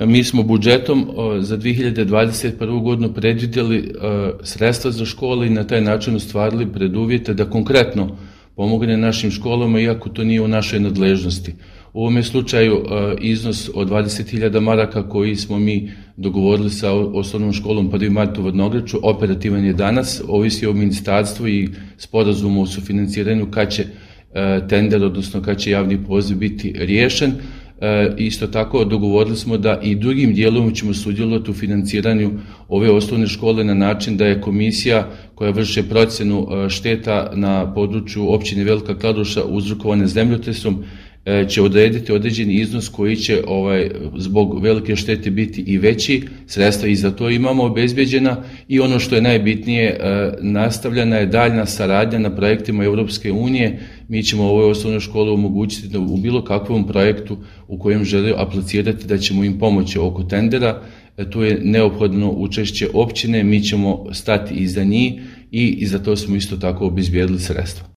Mi smo budžetom za 2021. godinu predvidjeli sredstva za škole i na taj način ostvarili preduvjete da konkretno pomogne našim školama, iako to nije u našoj nadležnosti. U ovome slučaju iznos od 20.000 maraka koji smo mi dogovorili sa osnovnom školom 1. mart u Vrnogreču operativan je danas, ovisi o ministarstvu i sporazumu o sufinanciranju kad će tender, odnosno kad će javni poziv biti riješen. Isto tako dogovorili smo da i drugim dijelom ćemo sudjelovati u financiranju ove osnovne škole na način da je komisija koja vrši procjenu šteta na području općine Velika Kladuša uzrokovane zemljotresom će odrediti određeni iznos koji će zbog velike štete biti i veći, sredstva i za to imamo obezbeđena i ono što je najbitnije, nastavljena je daljna saradnja na projektima Europske unije. Mi ćemo ovoj osnovnoj školi omogućiti da u bilo kakvom projektu u kojem žele aplicirati da ćemo im pomoći oko tendera. Tu je neophodno učešće općine, mi ćemo stati iza njih i za to smo isto tako obezbijedili sredstva.